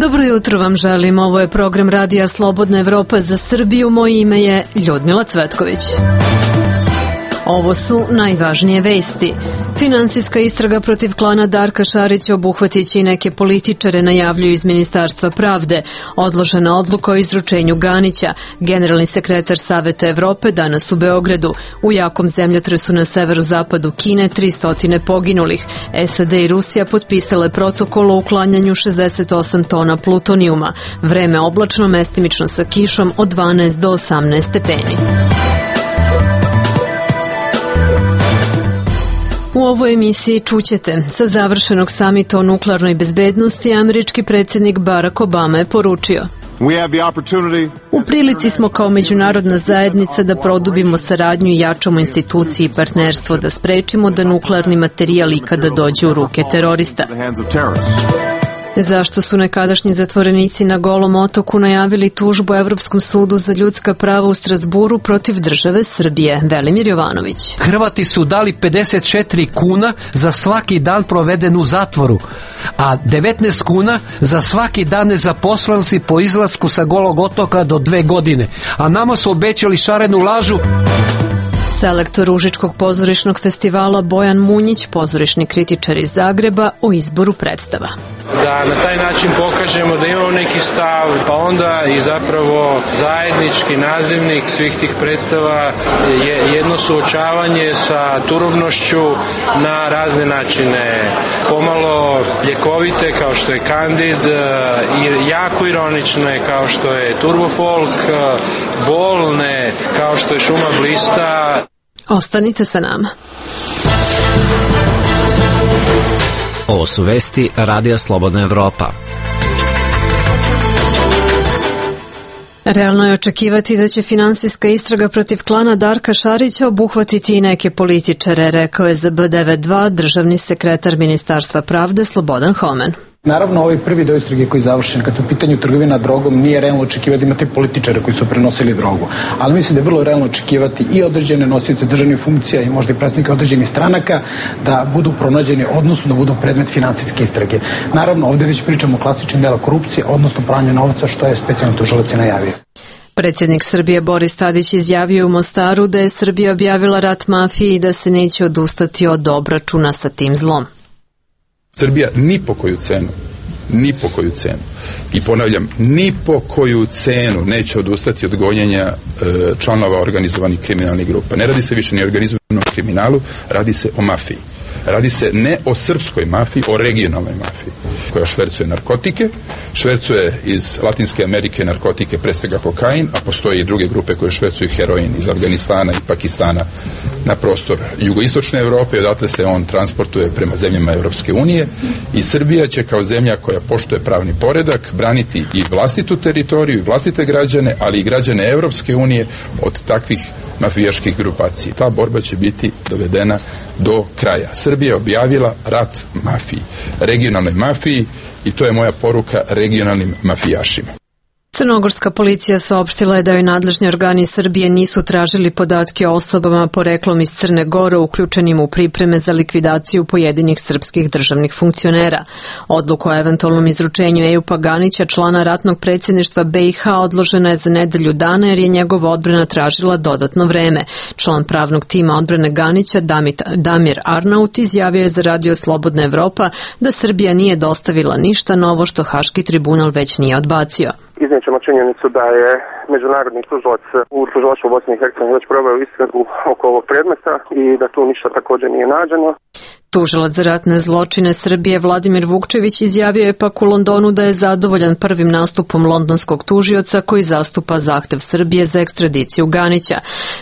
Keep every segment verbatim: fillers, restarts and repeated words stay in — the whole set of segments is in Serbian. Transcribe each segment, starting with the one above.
Dobro jutro vam želim, ovo je program Radija Slobodna Evropa za Srbiju, moje ime je Ljudmila Cvetković. Ovo su najvažnije vesti. Finansijska istraga protiv klana Darka Šarića obuhvatiće i neke političare, najavljuju iz Ministarstva pravde. Odložena odluka o izručenju Ganića. Generalni sekretar Saveta Evrope danas u Beogradu. U jakom zemljotresu na severozapadu Kine tristo poginulih. S A D i Rusija potpisale protokol o uklanjanju šezdeset osam tona plutonijuma. Vreme oblačno, mestimično sa kišom od dvanaest do osamnaest stepeni. U ovoj emisiji čućete, sa završenog samita o nuklearnoj bezbednosti američki predsjednik Barack Obama je poručio: U prilici smo kao međunarodna zajednica da produbimo saradnju i jačamo institucije i partnerstvo, da sprečimo da nuklearni materijal ikada dođe u ruke terorista. Zašto su nekadašnji zatvorenici na Golom otoku najavili tužbu Evropskom sudu za ljudska prava u Strazburu protiv države Srbije? Velimir Jovanović. Hrvati su dali pedeset četiri kuna za svaki dan proveden u zatvoru, a devetnaest kuna za svaki dan nezaposlenosti po izlasku sa Golog otoka do dve godine. A nama su obećali šarenu lažu. Selektor Užičkog pozorišnog festivala Bojan Munjić, pozorišni kritičar iz Zagreba, o izboru predstava. Da na taj način pokažemo da imamo neki stav, pa onda i zapravo zajednički nazivnik svih tih predstava je jedno suočavanje sa turobnošću na razne načine. Pomalo ljekovite kao što je Kandid, i jako ironične kao što je Turbofolk, bolne kao što je Šuma blista. Ostanite sa nama. Ovo su vesti Radija Slobodna Evropa. Realno je očekivati da će finansijska istraga protiv klana Darka Šarića obuhvatiti i neke političare, rekao je za B devedeset dva državni sekretar Ministarstva pravde Slobodan Homen. Naravno, ovaj prvi deo istrage koji je završen, kad u pitanju trgovina drogom, nije realno očekivati da imate političare koji su prenosili drogu. Ali mislim da je vrlo realno očekivati i određene nosioce državnih funkcija i možda i predstavnike određenih stranaka da budu pronađeni, odnosno da budu predmet finansijske istrage. Naravno, ovde već pričamo o klasičnim dela korupcije, odnosno pranju novca, što je specijalni tužilac i najavio. Predsjednik Srbije Boris Tadić izjavio u Mostaru da je Srbija objavila rat mafiji i da se neće odustati od obračuna sa tim zlom. Srbija ni po koju cenu, ni po koju cenu, i ponavljam, ni po koju cenu neće odustati od gonjenja e, članova organizovanih kriminalnih grupa. Ne radi se više ni o organizovanom kriminalu, radi se o mafiji. Radi se ne o srpskoj mafiji, o regionalnoj mafiji, koja švercuje narkotike, švercuje iz Latinske Amerike narkotike, pre svega kokain, a postoje i druge grupe koje švercuju heroin iz Afganistana i Pakistana na prostor jugoistočne Evrope, odatle se on transportuje prema zemljama Evropske unije, i Srbija će kao zemlja koja poštuje pravni poredak braniti i vlastitu teritoriju i vlastite građane, ali i građane Evropske unije od takvih mafijaških grupacija. Ta borba će biti dovedena do kraja. Srbija je objavila rat mafiji, regionalnoj mafiji, i to je moja poruka regionalnim mafijašima. Crnogorska policija saopštila je da joj nadležni organi Srbije nisu tražili podatke o osobama poreklom iz Crne Gore uključenim u pripreme za likvidaciju pojedinih srpskih državnih funkcionera. Odluku o eventualnom izručenju Ejupa Ganića, člana ratnog predsjedništva B i H, odložena je za nedelju dana jer je njegova odbrana tražila dodatno vreme. Član pravnog tima odbrane Ganića, Damir Arnaut, izjavio je za Radio Slobodna Evropa da Srbija nije dostavila ništa novo što Haški tribunal već nije odbacio. Iznećemo činjenicu da je međunarodni tužilac u tužilaštvu Bosne i Hercegovine već proveo istragu oko ovog predmeta i da tu ništa također nije nađeno. Tužilac za ratne zločine Srbije Vladimir Vukčević izjavio je pak u Londonu da je zadovoljan prvim nastupom londonskog tužioca koji zastupa zahtev Srbije za ekstradiciju Ganića.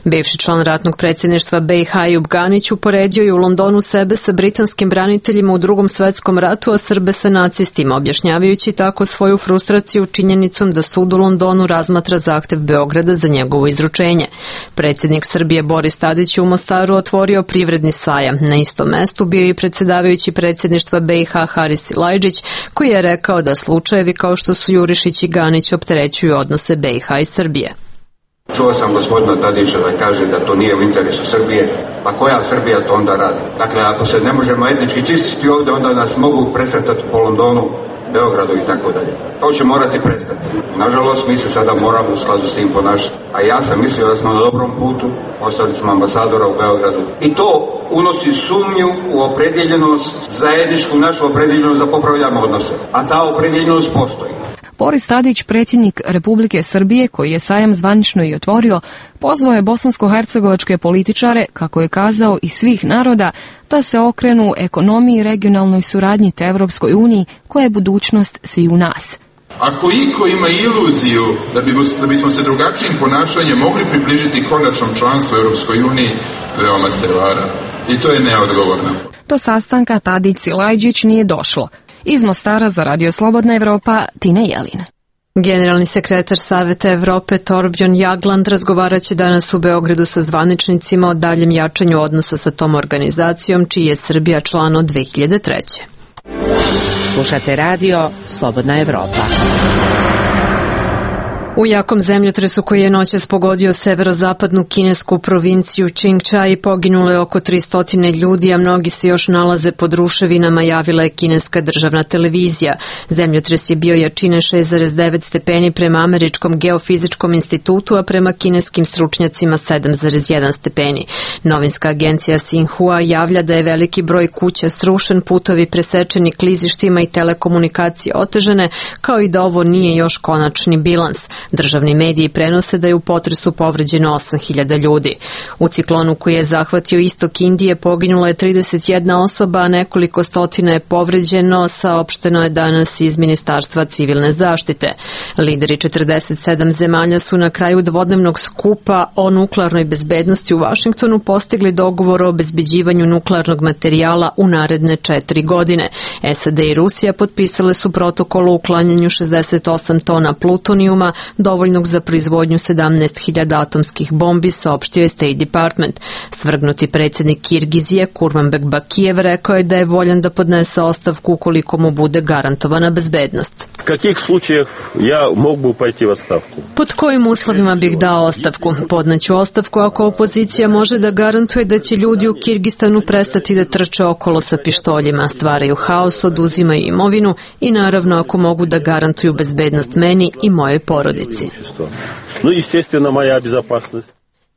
Bivši član ratnog predsjedništva B i H Ejup Ganić uporedio je u Londonu sebe sa britanskim braniteljima u Drugom svetskom ratu, a Srbe sa nacistima, objašnjavajući tako svoju frustraciju činjenicom da sud u Londonu razmatra zahtev Beograda za njegovo izručenje. Predsjednik Srbije Boris Tadić u Mostaru otvorio privredni sajam. Na istom mestu bio i predsjedavajući predsjedništva B i H Haris Silajdžić, koji je rekao da slučajevi kao što su Jurišić i Ganić opterećuju odnose B i H i Srbije. Čuo sam gospodina Tadića da kaže da to nije u interesu Srbije, pa koja Srbija to onda radi? Dakle, ako se ne možemo etnički čistiti ovdje, onda nas mogu presretati po Londonu, Beogradu i tako dalje. To će morati prestati. Nažalost, mi se sada moramo u skladu s tim ponašati. A ja sam mislio da smo na dobrom putu, ostali smo ambasadora u Beogradu. I to unosi sumnju u opredjeljenost, zajedničku našu opredjeljenost za popravljanje odnose. A ta opredjeljenost postoji. Boris Tadić, predsjednik Republike Srbije, koji je sajam zvanično i otvorio, pozvao je bosansko-hercegovačke političare, kako je kazao, i svih naroda, da se okrenu ekonomiji i regionalnoj suradnji te Evropskoj uniji, koja je budućnost svi u nas. Ako iko ima iluziju da, bi, da bismo se drugačijim ponašanjem mogli približiti konačnom članstvu Europskoj uniji, veoma se vara. I to je neodgovorno. Do sastanka Tadić-Silajđić nije došlo. Iz Mostara za Radio Slobodna Evropa, Tina Jelin. Generalni sekretar Saveta Evrope Torbjörn Jagland razgovarat će danas u Beogradu sa zvaničnicima o daljem jačanju odnosa sa tom organizacijom, čiji je Srbija član od dve hiljade treće. Slušate Radio Slobodna Evropa. U jakom zemljotresu koji je noćas pogodio severozapadnu kinesku provinciju Čingčaj poginulo je oko tristo ljudi, a mnogi se još nalaze pod ruševinama, javila je kineska državna televizija. Zemljotres je bio jačine šest zarez devet stepeni prema Američkom geofizičkom institutu, a prema kineskim stručnjacima sedam zarez jedan stepeni. Novinska agencija Xinhua javlja da je veliki broj kuća srušen, putovi presečeni klizištima i telekomunikacije otežane, kao i da ovo nije još konačni bilans. Državni mediji prenose da je u potresu povređeno osam hiljada ljudi. U ciklonu koji je zahvatio istok Indije poginulo je trideset jedna osoba, a nekoliko stotina je povređeno, saopšteno je danas iz Ministarstva civilne zaštite. Lideri četrdeset sedam zemalja su na kraju dvodnevnog skupa o nuklearnoj bezbednosti u Vašingtonu postigli dogovor o obezbeđivanju nuklearnog materijala u naredne četiri godine. S A D i Rusija potpisale su protokol o uklanjanju šezdeset osam tona plutonijuma, dovoljnog za proizvodnju sedamnaest hiljada atomskih bombi, saopštio je State Department. Svrgnuti predsjednik Kirgizije Kurmanbek Bakijev rekao je da je voljan da podnese ostavku ukoliko mu bude garantovana bezbednost. U kakvih slučajeva ja mogu pojти u odstavku? Pod kojim uslovima bih dao ostavku? Podneću ostavku ako opozicija može da garantuje da će ljudi u Kirgistanu prestati da trče okolo sa pištoljima, stvaraju haos, oduzimaju imovinu i naravno ako mogu da garantuju bezbednost meni i mojoj porodici. No, естественно, moja bezopasnost.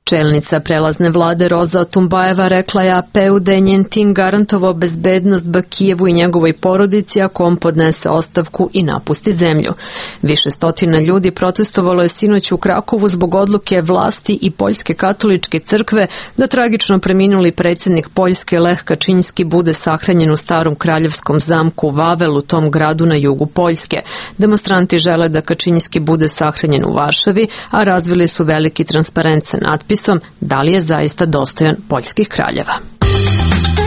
Čelnica prelazne vlade Roza Otumbajeva rekla je A P U da je njen tim garantovao bezbednost Bakijevu i njegovoj porodici ako on podnese ostavku i napusti zemlju. Više stotina ljudi protestovalo je sinoć u Krakovu zbog odluke vlasti i Poljske katoličke crkve da tragično preminuli predsjednik Poljske Lech Kačinski bude sahranjen u starom kraljevskom zamku Vavel u tom gradu na jugu Poljske. Demonstranti žele da Kačinski bude sahranjen u Varšavi, a razvili su veliki transparent sa natpisom da li je zaista dostojan poljskih kraljeva.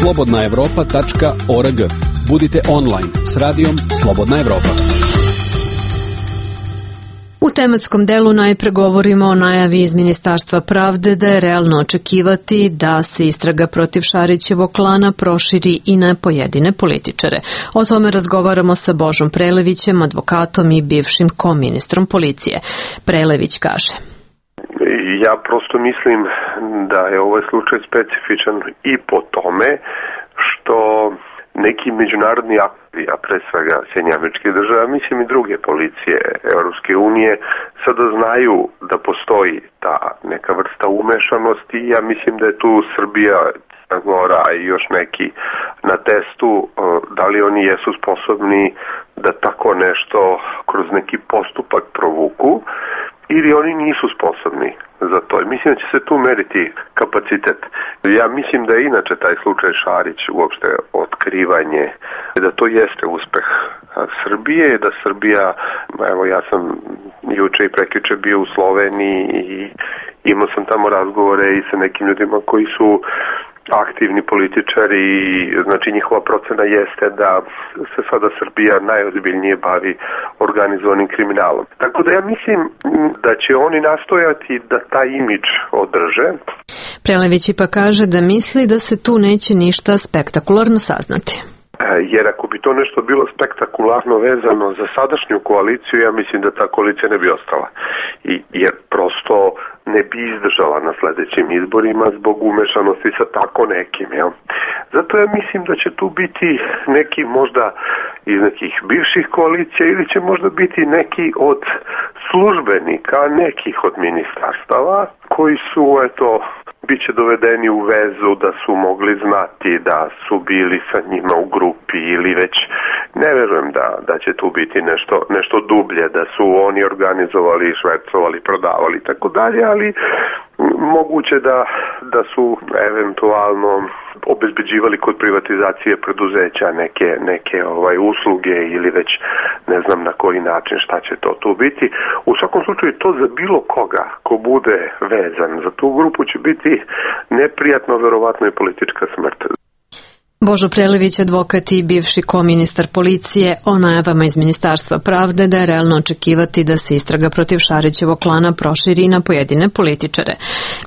slobodna evropa tačka org. Budite online s radijom Slobodna Evropa. U tematskom delu najpre govorimo o najavi iz Ministarstva pravde da je realno očekivati da se istraga protiv Šarićevog klana proširi i na pojedine političare. O tome razgovaramo sa Božom Prelevićem, advokatom i bivšim koministrom policije. Prelević kaže: Ja prosto mislim da je ovaj slučaj specifičan i po tome što neki međunarodni akteri, a pre svega Sjedinjenih Američkih Država, mislim i druge policije Europske unije, sada znaju da postoji ta neka vrsta umešanosti. Ja mislim da je tu Srbija, Crna Gora i još neki na testu da li oni jesu sposobni da tako nešto kroz neki postupak provuku ili oni nisu sposobni za to. I mislim da će se tu meriti kapacitet. Ja mislim da je inače taj slučaj Šarić uopšte otkrivanje, da to jeste uspeh Srbije, da Srbija, evo ja sam juče i prekjuče bio u Sloveniji i imao sam tamo razgovore i sa nekim ljudima koji su aktivni političari i znači njihova procena jeste da se sada Srbija najozbiljnije bavi organizovanim kriminalom. Tako da ja mislim da će oni nastojati da taj imidž održe. Prelević pa kaže da misli da se tu neće ništa spektakularno saznati. Jer ako bi to nešto bilo spektakularno vezano za sadašnju koaliciju, ja mislim da ta koalicija ne bi ostala. I, jer prosto ne bi izdržala na sledećim izborima zbog umešanosti sa tako nekim. Jel? Zato ja mislim da će tu biti neki možda iz nekih bivših koalicija ili će možda biti neki od službenika nekih od ministarstava koji su, eto, bit će dovedeni u vezu da su mogli znati da su bili sa njima u grupi ili već ne verujem da, da će tu biti nešto, nešto dublje, da su oni organizovali, švercovali, prodavali i tako dalje, ali moguće da, da su eventualno obezbeđivali kod privatizacije preduzeća neke, neke ovaj usluge ili već ne znam na koji način šta će to tu biti. U svakom slučaju to za bilo koga ko bude vezan za tu grupu će biti neprijatno, verovatno i politička smrt. Božo Prelević, advokat i bivši koministar policije, o najavama iz Ministarstva pravde da je realno očekivati da se istraga protiv Šarićevog klana proširi na pojedine političare.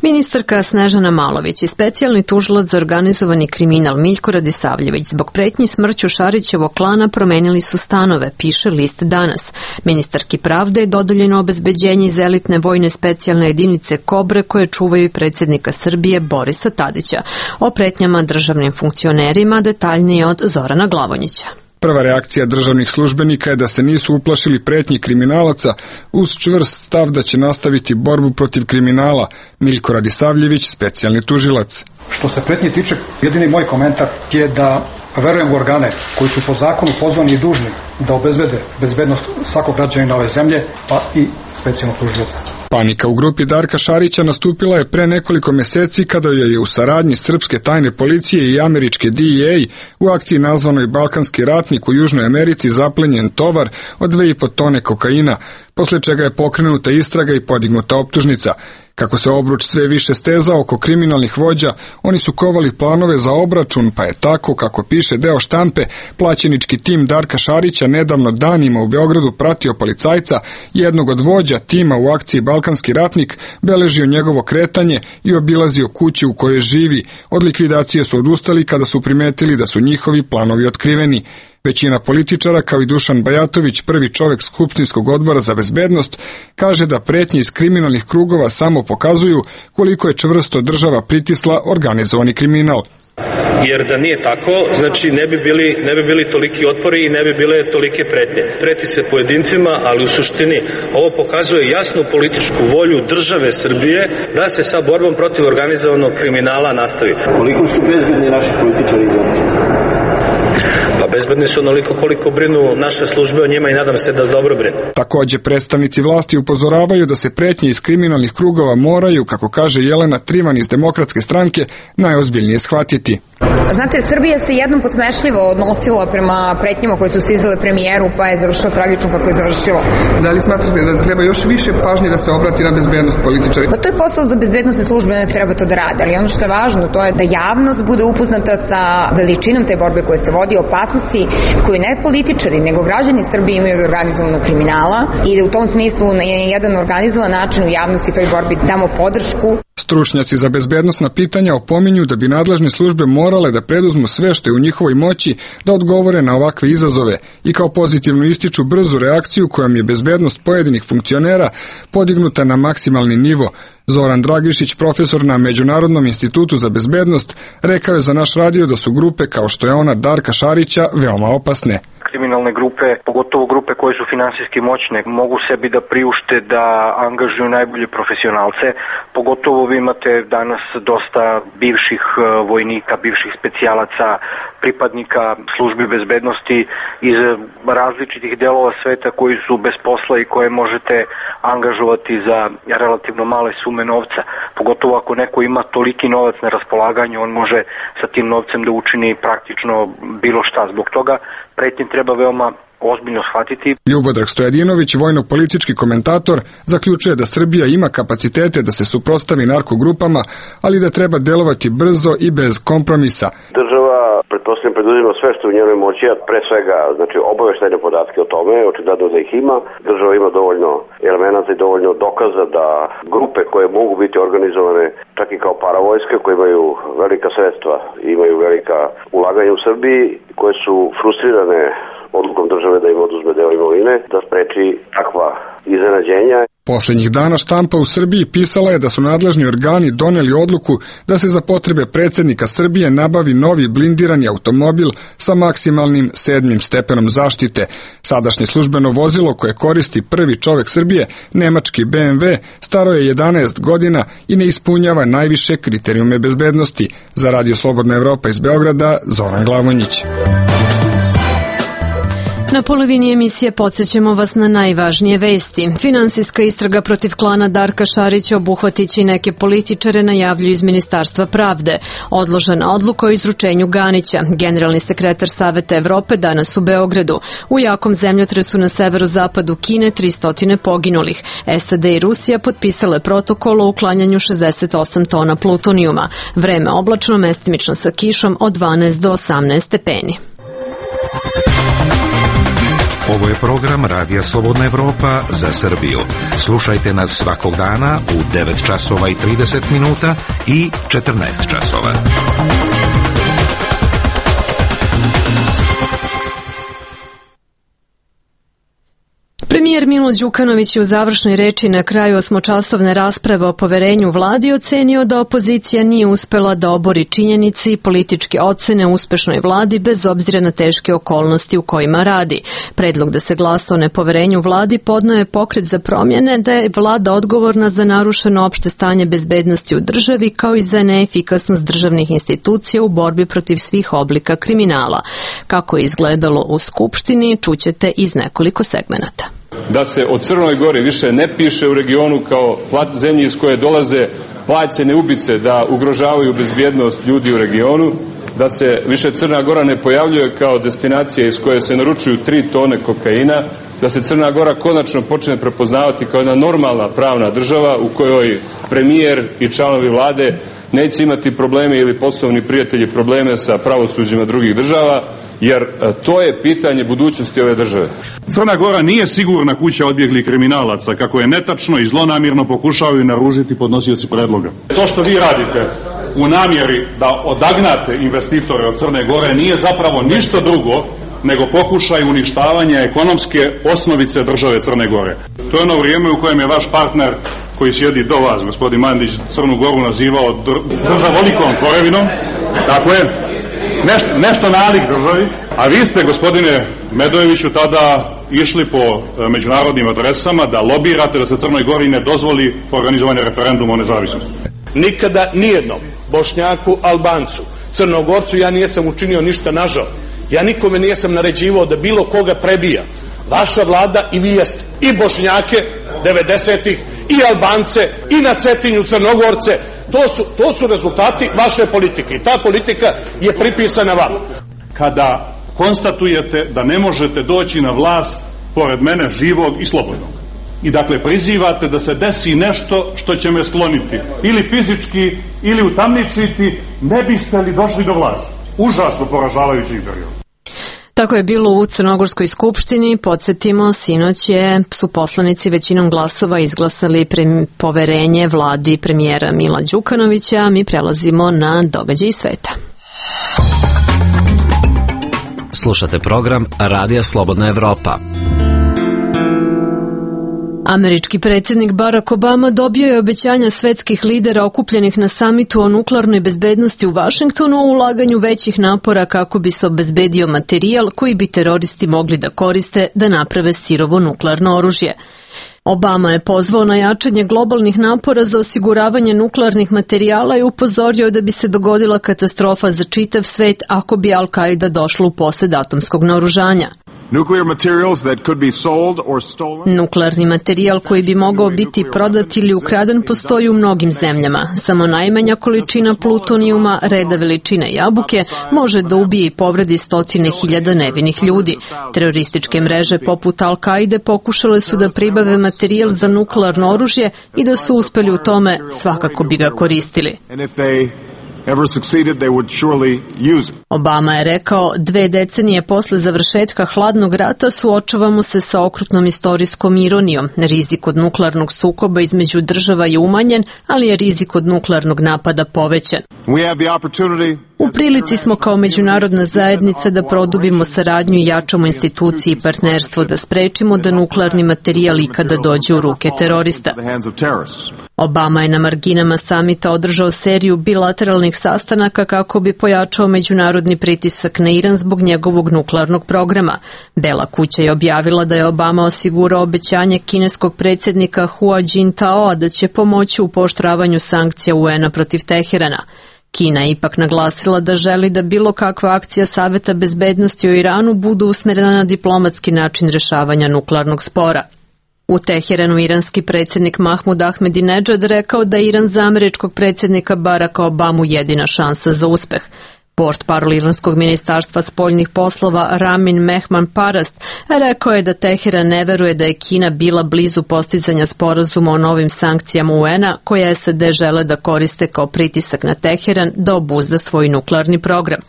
Ministarka Snežana Malović i specijalni tužilac za organizovani kriminal Miljko Radisavljević zbog pretnji smrću Šarićevog klana promenili su stanove, piše list danas. Ministarki pravde je dodeljeno obezbeđenje iz elitne vojne specijalne jedinice Kobre koje čuvaju predsjednika Srbije Borisa Tadića. O pretnjama državnim funkcionerima detaljnije od Zorana Glavonjića. Prva reakcija državnih službenika je da se nisu uplašili pretnji kriminalaca uz čvrst stav da će nastaviti borbu protiv kriminala. Miljko Radisavljević, specijalni tužilac. Što se pretnje tiče, jedini moj komentar je da verujem u organe koji su po zakonu pozvani i dužni da obezbede bezbednost svakog građanina ove zemlje, pa i specijalnog tužioca. Panika u grupi Darka Šarića nastupila je pre nekoliko meseci kada je u saradnji srpske tajne policije i američke D E A u akciji nazvanoj Balkanski ratnik u Južnoj Americi zaplenjen tovar od dve i po tone kokaina, posle čega je pokrenuta istraga i podignuta optužnica. Kako se obruč sve više stezao oko kriminalnih vođa, oni su kovali planove za obračun, pa je tako, kako piše deo štampe, plaćenički tim Darka Šarića nedavno danima u Beogradu pratio policajca, jednog od vođa tima u akciji Balkanski ratnik, beležio njegovo kretanje i obilazio kuću u kojoj živi. Od likvidacije su odustali kada su primetili da su njihovi planovi otkriveni. Većina političara, kao i Dušan Bajatović, prvi čovek Skupštinskog odbora za bezbednost, kaže da pretnje iz kriminalnih krugova samo pokazuju koliko je čvrsto država pritisla organizovani kriminal. Jer da nije tako, znači ne bi bili, ne bi bili toliki otpori i ne bi bile tolike pretnje. Preti se pojedincima, ali u suštini ovo pokazuje jasnu političku volju države Srbije da se sa borbom protiv organizovanog kriminala nastavi. Koliko su bezbedni naši političari izvršeni? Pa bezbedni su onoliko koliko brinu naše službe o njima i nadam se da dobro brinu. Takođe, predstavnici vlasti upozoravaju da se pretnje iz kriminalnih krugova moraju, kako kaže Jelena Trivan iz Demokratske stranke, najozbiljnije shvatiti. Znate, Srbija se jednom podsmešljivo odnosila prema pretnjama koje su stizale premijeru, pa je završilo tragično kako je završilo. Da li smatrate da treba još više pažnje da se obrati na bezbednost političara? Pa to je posao za bezbednosne službe, ne treba to da rade, ali ono što je važno, to je da javnost bude upoznata sa veličinom te borbe koje se vodi, opasnosti koje ne političari, nego građani Srbije imaju od organizovanog kriminala i da u tom smislu na jedan organizovan način u javnosti toj borbi damo podršku. Stručnjaci za bezbednosna pitanja opominju da bi nadležne službe morale da preduzmu sve što je u njihovoj moći da odgovore na ovakve izazove i kao pozitivno ističu brzu reakciju kojom je bezbednost pojedinih funkcionera podignuta na maksimalni nivo. Zoran Dragišić, profesor na Međunarodnom institutu za bezbednost, rekao je za naš radio da su grupe kao što je ona Darka Šarića veoma opasne. Kriminalne grupe, pogotovo grupe koje su finansijski moćne, mogu sebi da priušte da angažuju najbolje profesionalce. Pogotovo vi imate danas dosta bivših vojnika, bivših specijalaca, pripadnika službi bezbednosti iz različitih delova sveta koji su bez posla i koje možete angažovati za relativno male sume novca. Pogotovo ako neko ima toliki novac na raspolaganju, on može sa tim novcem da učini praktično bilo šta. Zbog toga pretnje treba veoma ozbiljno shvatiti. Ljubodrag Stojadinović, vojno-politički komentator, zaključuje da Srbija ima kapacitete da se suprotstavi narkogrupama, ali da treba delovati brzo i bez kompromisa. Država pretpostavljam preduzima sve što u njenoj moći, a pre svega znači obaveštajne podatke o tome, očigledno da ih ima. Država ima dovoljno elemenata i dovoljno dokaza da grupe koje mogu biti organizovane čak i kao paravojske, koje imaju velika sredstva, imaju velika ulaganja u Srbiji, koje su frustrirane odlukom države da im oduzme deo imovine, da spreči takva iznenađenja. Poslednjih dana štampa u Srbiji pisala je da su nadležni organi doneli odluku da se za potrebe predsjednika Srbije nabavi novi blindirani automobil sa maksimalnim sedmim stepenom zaštite. Sadašnje službeno vozilo koje koristi prvi čovek Srbije, nemački B M W, staro je jedanaest godina i ne ispunjava najviše kriterijume bezbednosti. Za Radio Slobodna Evropa iz Beograda, Zoran Glavonjić. Na polovini emisije podsjećamo vas na najvažnije vesti. Finansijska istraga protiv klana Darka Šarića obuhvatiće i neke političare, najavljuju iz Ministarstva pravde. Odložena odluka o izručenju Ganića. Generalni sekretar Saveta Evrope danas u Beogradu. U jakom zemljotresu na severozapadu Kine tristo poginulih. S A D i Rusija potpisale protokol o uklanjanju šezdeset osam tona plutonijuma. Vreme oblačno, mestimično sa kišom od dvanaest do osamnaest stepeni. Ovo je program Radija Slobodna Evropa za Srbiju. Slušajte nas svakog dana u devet časova i trideset minuta i četrnaest časova. Premijer Milo Đukanović je u završnoj reči na kraju osmočasovne rasprave o poverenju vladi ocenio da opozicija nije uspela da obori činjenici i političke ocene uspešnoj vladi bez obzira na teške okolnosti u kojima radi. Predlog da se glasa o nepoverenju vladi podneo je Pokret za promjene, da je vlada odgovorna za narušeno opšte stanje bezbednosti u državi kao i za neefikasnost državnih institucija u borbi protiv svih oblika kriminala. Kako je izgledalo u Skupštini, čućete iz nekoliko segmenata. Da se o Crnoj Gori više ne piše u regionu kao zemlji iz koje dolaze plaćene ubice da ugrožavaju bezbjednost ljudi u regionu, da se više Crna Gora ne pojavljuje kao destinacija iz koje se naručuju tri tone kokaina, da se Crna Gora konačno počne prepoznavati kao jedna normalna pravna država u kojoj premijer i članovi vlade neće imati probleme ili poslovni prijatelji probleme sa pravosuđima drugih država, jer to je pitanje budućnosti ove države. Crna Gora nije sigurna kuća odbjeglih kriminalaca, kako je netačno i zlonamirno pokušavaju naružiti podnosioci predloga. To što vi radite u namjeri da odagnate investitore od Crne Gore nije zapravo ništa drugo nego pokušaj uništavanja ekonomske osnovice države Crne Gore. To je ono vrijeme u kojem je vaš partner koji sjedi do vas, gospodin Mandić, Crnu Goru nazivao državolikom korevinom, tako je, nešto, nešto nalik državi, a vi ste, gospodine Medojeviću, tada išli po međunarodnim adresama da lobirate da se Crnoj Gori ne dozvoli organizovanje referenduma o nezavisnosti. Nikada nijednom Bošnjaku, Albancu, Crnogorcu ja nisam učinio ništa nažao. Ja nikome nisam naređivao da bilo koga prebija. Vaša vlada i vi jeste i Bošnjake devedesetih i Albance i na Cetinju Crnogorce. To su, to su rezultati vaše politike i ta politika je pripisana vama. Kada konstatujete da ne možete doći na vlast pored mene živog i slobodnog i dakle prizivate da se desi nešto što će me skloniti ili fizički ili utamničiti, ne biste li došli do vlasti. Užasno poražavajući period. Tako je bilo u Crnogorskoj skupštini. Podsjetimo, sinoć je, su poslanici većinom glasova izglasali pre, poverenje vladi premijera Mila Đukanovića. Mi prelazimo na događaj sveta. Slušate program Radija Slobodna Evropa. Američki predsjednik Barack Obama dobio je obećanja svetskih lidera okupljenih na samitu o nuklearnoj bezbednosti u Vašingtonu o ulaganju većih napora kako bi se obezbedio materijal koji bi teroristi mogli da koriste da naprave sirovo nuklearno oružje. Obama je pozvao na jačanje globalnih napora za osiguravanje nuklearnih materijala i upozorio da bi se dogodila katastrofa za čitav svet ako bi Al-Qaida došla u posed atomskog naoružanja. Nuklearni materijal koji bi mogao biti prodat ili ukraden postoji u mnogim zemljama. Samo najmanja količina plutonijuma, reda veličine jabuke, može da ubije i povredi stotine hiljada nevinih ljudi. Terorističke mreže poput Al-Qaide pokušale su da pribave materijal za nuklearno oružje i da su uspeli u tome, svakako bi ga koristili. ever succeeded, they would surely use it. Obama je rekao, dve decenije posle završetka hladnog rata suočavamo se sa okrutnom istorijskom ironijom. Rizik od nuklearnog sukoba između država je umanjen, ali je rizik od nuklearnog napada povećan. We have the opportunity. U prilici smo kao međunarodna zajednica da produbimo saradnju i jačamo institucije i partnerstvo, da sprečimo da nuklearni materijal ikada dođe u ruke terorista. Obama je na marginama samita održao seriju bilateralnih sastanaka kako bi pojačao međunarodni pritisak na Iran zbog njegovog nuklearnog programa. Bela kuća je objavila da je Obama osigurao obećanje kineskog predsjednika Hua Jintaoa da će pomoći u pooštravanju sankcija U N-a protiv Teherana. Kina je ipak naglasila da želi da bilo kakva akcija Saveta bezbednosti o Iranu budu usmjerena na diplomatski način rješavanja nuklearnog spora. U Teheranu iranski predsjednik Mahmud Ahmadinejad rekao da je Iran za američkog predsjednika Baracka Obamu jedina šansa za uspeh. Portparol iranskog ministarstva spoljnih poslova Ramin Mehman Parast rekao je da Teheran ne veruje da je Kina bila blizu postizanja sporazuma o novim sankcijama U N-a koje S A D žele da koriste kao pritisak na Teheran da obuzda svoj nuklearni program.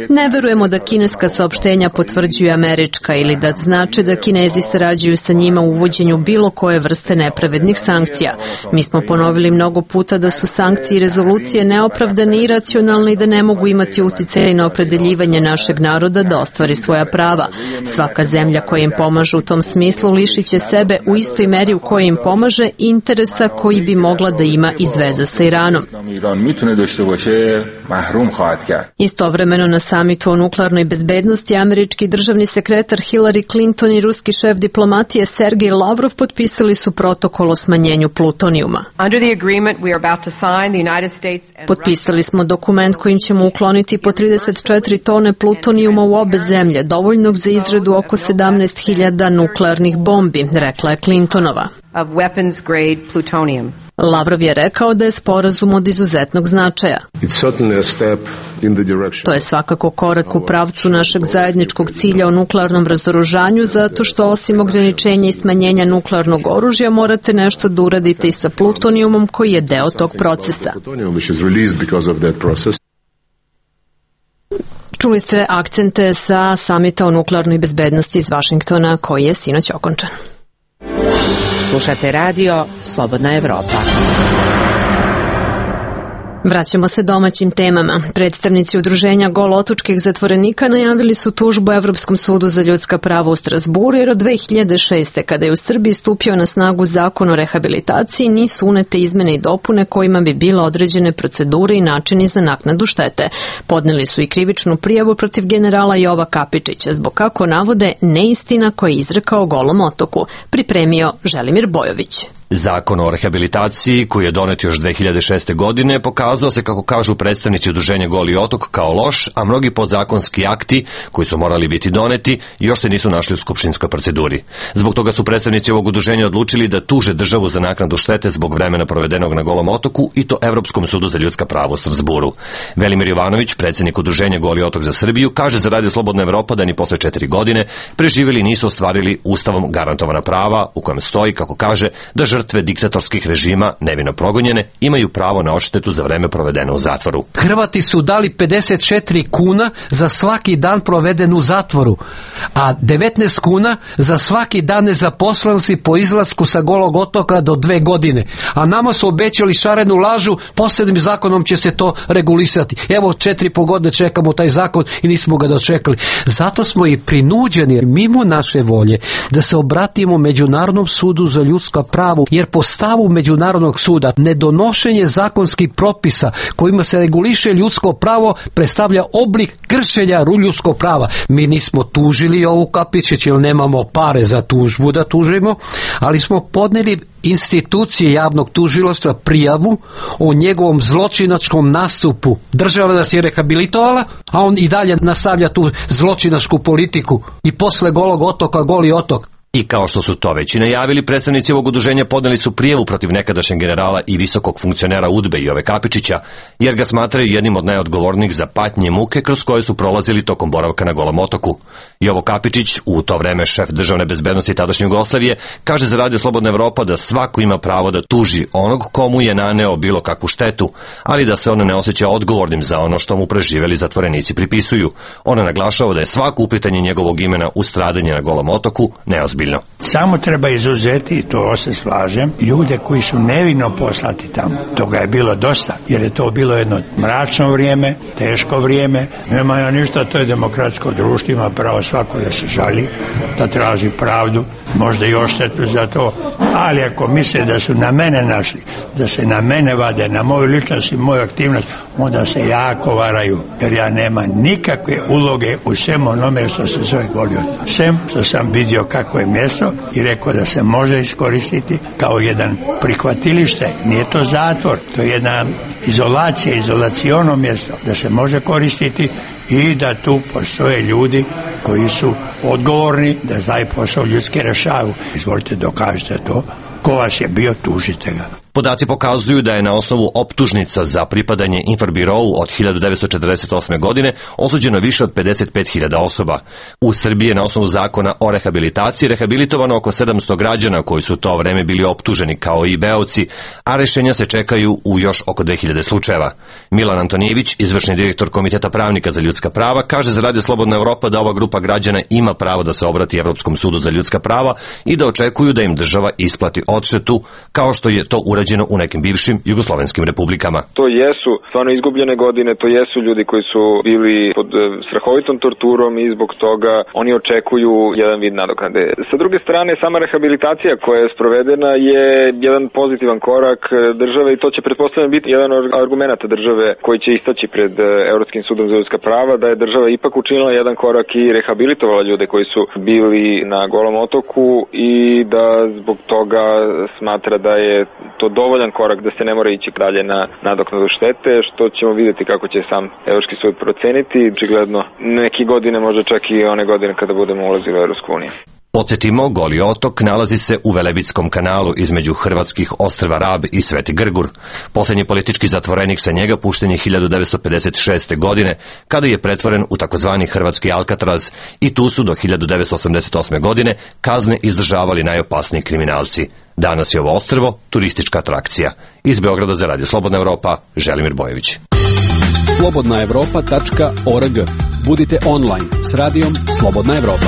Ne verujemo da kineska saopštenja potvrđuju američka ili da znači da Kinezi sarađuju sa njima u uvođenju bilo koje vrste nepravednih sankcija. Mi smo ponovili mnogo puta da su sankcije i rezolucije neopravdane i iracionalne i da ne mogu imati uticaj na opredeljivanje našeg naroda da ostvari svoja prava. Svaka zemlja koja im pomaže u tom smislu lišit će sebe u istoj meri u kojoj im pomaže interesa koji bi mogla da ima iz veze sa Iranom. Istovremeno na samitu o nuklearnoj bezbednosti američki državni sekretar Hillary Clinton i ruski šef diplomatije Sergej Lavrov potpisali su protokol o smanjenju plutonijuma. Potpisali smo dokument kojim ćemo ukloniti po trideset četiri tone plutonijuma u obe zemlje, dovoljnog za izradu oko sedamnaest hiljada nuklearnih bombi, rekla je Clintonova. Lavrov je rekao da je sporazum od izuzetnog značaja. To je svakako korak u pravcu našeg zajedničkog cilja o nuklearnom razoružanju, zato što osim ograničenja i smanjenja nuklearnog oružja morate nešto da uradite i sa plutonijumom koji je deo tog procesa. Čuli ste akcente sa samita o nuklearnoj bezbednosti iz Vašingtona koji je sinoć okončan. Slušate radio Slobodna Evropa. Vraćamo se domaćim temama. Predstavnici udruženja golotočkih zatvorenika najavili su tužbu Evropskom sudu za ljudska prava u Strasburu jer od dve hiljade šeste. kada je u Srbiji stupio na snagu zakon o rehabilitaciji nisu unete izmene i dopune kojima bi bila određene procedure i načini za naknadu štete. Podneli su i krivičnu prijavu protiv generala Jova Kapičića zbog, kako navode, neistina koje je izrekao Golom otoku. Pripremio Želimir Bojović. Zakon o rehabilitaciji, koji je donet još dve hiljade šeste. godine, pokazao se, kako kažu predstavnici udruženja Goli otok, kao loš, a mnogi podzakonski akti koji su morali biti doneti još se nisu našli u skupštinskoj proceduri. Zbog toga su predstavnici ovog udruženja odlučili da tuže državu za naknadu štete zbog vremena provedenog na Golom otoku i to Evropskom sudu za ljudska prava u Strasburu. Velimir Jovanović, predsednik udruženja Goli otok za Srbiju, kaže za Radio Slobodna Evropa da ni posle četiri godine preživjeli nisu ostvarili ustavom garantovana prava u kojem stoji, kako kaže, da žrtve diktatorskih režima, nevino progonjene, imaju pravo na odštetu za vreme provedeno u zatvoru. Hrvati su dali pedeset četiri kuna za svaki dan proveden u zatvoru, a devetnaest kuna za svaki dan nezaposlenosti po izlasku sa Golog otoka do dve godine. A nama su obećali šarenu lažu, posebnim zakonom će se to regulisati. Evo, četiri po godine čekamo taj zakon i nismo ga dočekali. Zato smo i prinuđeni, mimo naše volje, da se obratimo Međunarodnom sudu za ljudska prava, jer po stavu Međunarodnog suda nedonošenje zakonskih propisa kojima se reguliše ljudsko pravo predstavlja oblik kršenja ljudskog prava. Mi nismo tužili ovu Kapičić jer nemamo pare za tužbu da tužimo, ali smo podneli institucije javnog tužilaštva prijavu o njegovom zločinačkom nastupu. Država nas je rehabilitovala, a on i dalje nastavlja tu zločinačku politiku i posle Golog otoka Goli otok. I kao što su to već i najavili, predstavnici ovog udruženja podneli su prijavu protiv nekadašnjeg generala i visokog funkcionera UDBE Jove Kapičića, jer ga smatraju jednim od najodgovornijih za patnje muke kroz koje su prolazili tokom boravka na Golom otoku. Jovo Kapičić, u to vreme šef državne bezbednosti tadašnje Jugoslavije, kaže za Radio Slobodna Evropa da svako ima pravo da tuži onog komu je naneo bilo kakvu štetu, ali da se on ne osjeća odgovornim za ono što mu preživeli zatvorenici pripisuju. Ona naglašava da je svako uplitanje njegovog imena u stradanje na Golom otoku neozbiljno. Samo treba izuzeti, i to se slažem, ljude koji su nevino poslati tamo. Toga je bilo dosta, jer je to bilo jedno mračno vrijeme, teško vrijeme. Nema ja ništa, to je demokratsko društvo, ima pravo svako da se žali, da traži pravdu, možda i odštetu za to, ali ako misle da su na mene našli, da se na mene vade, na moju ličnost i moju aktivnost, onda se jako varaju, jer ja nema nikakve uloge u svem onome što se zove Goli otok. Sem što sam vidio kako je mjesto i rekao da se može iskoristiti kao jedan prihvatilište, nije to zatvor, to je jedna izolacija, izolaciono mjesto, da se može koristiti i da tu postoje ljudi koji su odgovorni da taj posao ljudski rešavu. Izvolite, dokažite to. Ko vas je bio, tužite ga. Podaci pokazuju da je na osnovu optužnica za pripadanje Inforbirou od hiljadu devetsto četrdeset osme. godine osuđeno više od pedeset pet hiljada osoba. U Srbiji je na osnovu zakona o rehabilitaciji rehabilitovano oko sedamsto građana koji su to vreme bili optuženi kao i beoci, a rešenja se čekaju u još oko dve hiljade slučajeva. Milan Antonijević, izvršni direktor Komiteta pravnika za ljudska prava, kaže za Radio Slobodna Evropa da ova grupa građana ima pravo da se obrati Evropskom sudu za ljudska prava i da očekuju da im država isplati odštetu, kao što je to urađeno u nekim bivšim jugoslovenskim republikama. To jesu stvarno izgubljene godine, to jesu ljudi koji su bili pod strahovitom torturom i zbog toga oni očekuju jedan vid nadoknade. Sa druge strane, sama rehabilitacija koja je sprovedena je jedan pozitivan korak države i to će pretpostavljeno biti jedan od argumenata države koji će istaći pred Evropskim sudom za ljudska prava, da je država ipak učinila jedan korak i rehabilitovala ljude koji su bili na Golom otoku i da zbog toga smatra da je to dovoljan korak da se ne mora ići dalje na nadoknadu štete, što ćemo vidjeti kako će sam Evropski sud proceniti. Očigledno neki godine, možda čak i one godine kada budemo ulazili u Evropsku uniju. Podsjetimo, Goli otok nalazi se u Velebitskom kanalu između hrvatskih ostrva Rab i Sveti Grgur. Poslednji politički zatvorenik sa njega pušten je hiljadu devetsto pedeset šeste. godine, kada je pretvoren u takozvani hrvatski Alcatraz i tu su do hiljadu devetsto osamdeset osme. godine kazne izdržavali najopasniji kriminalci. Danas je ovo ostrvo turistička atrakcija. Iz Beograda za Radio Slobodna Evropa, Želimir Bojević. slobodna evropa tačka org. Budite online s radijom Slobodna Evropa.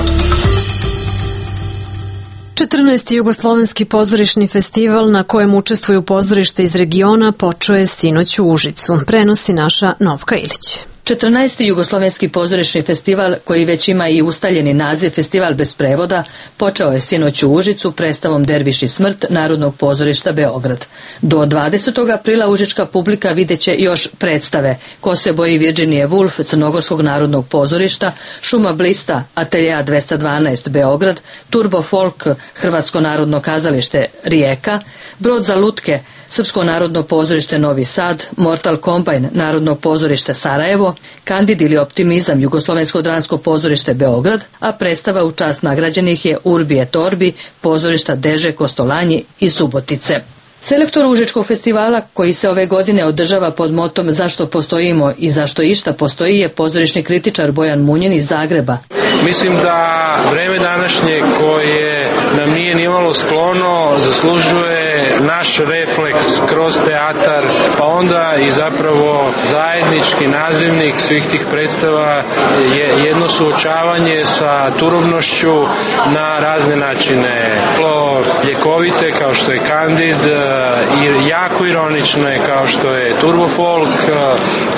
četrnaesti Jugoslovenski pozorišni festival na kojem učestvuju pozorište iz regiona počeo je sinoć u Užicu. Prenosi naša Novka Ilić. četrnaesti Jugoslovenski pozorišni festival, koji već ima i ustaljeni naziv Festival bez prevoda, počeo je sinoć u Užicu predstavom Derviš i smrt Narodnog pozorišta Beograd. Do dvadesetog aprila užička publika videće još predstave Ko se boji Virginije Woolf Crnogorskog narodnog pozorišta, Šuma blista Ateljea dvesta dvanaest Beograd, Turbo folk Hrvatsko narodno kazalište Rijeka, Brod za lutke Srpsko narodno pozorište Novi Sad, Mortal Combine Narodno pozorište Sarajevo, Kandid ili Optimizam Jugoslovensko dramsko pozorište Beograd, a predstava u čast nagrađenih je Urbi et Orbi pozorišta Deže, Kostolanji i Subotice. Selektor Užičkog festivala, koji se ove godine održava pod motom Zašto postojimo i zašto išta postoji, je pozorišni kritičar Bojan Munjin iz Zagreba. Mislim da vreme današnje koje nam nije nimalo sklono zaslužuje naš refleks kroz teatar, pa onda i zapravo zajednički nazivnik svih tih predstava je jedno suočavanje sa turobnošću na razne načine. Ljekovite kao što je Kandid, i jako ironične kao što je Turbo folk,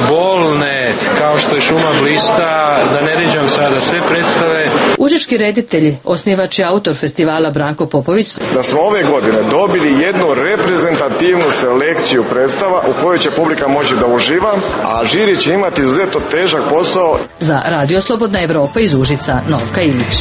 bolne kao što je Šuma blista, da ne ređam sada sve predstave. Užički reditelj, osnivač i autor festivala Branko Popović, da smo ove godine dobili jednu reprezentativnu selekciju predstava u kojoj će publika moći da uživa, a žiri će imati izuzetno težak posao. Za Radio Slobodna Evropa iz Užica, Novka Ilić.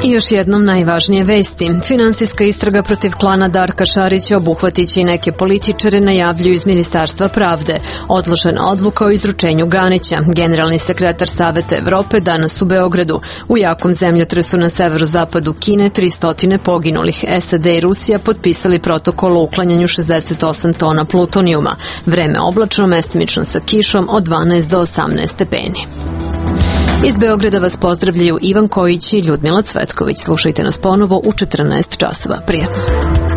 I još jednom najvažnije vesti. Finansijska istraga protiv klana Darka Šarića obuhvatiće i neke političare, najavljuju iz Ministarstva pravde. Odložena odluka o izručenju Ganića. Generalni sekretar Saveta Evrope danas u Beogradu. U jakom zemljotresu na severozapadu Kine tristo poginulih. S A D i Rusija potpisali protokol o uklanjanju šezdeset osam tona plutonijuma. Vreme oblačno, mestimično sa kišom od dvanaest do osamnaest stepeni. Iz Beograda vas pozdravljaju Ivan Kojić i Ljudmila Cvetković. Slušajte nas ponovo u četrnaest časova. Prijatno.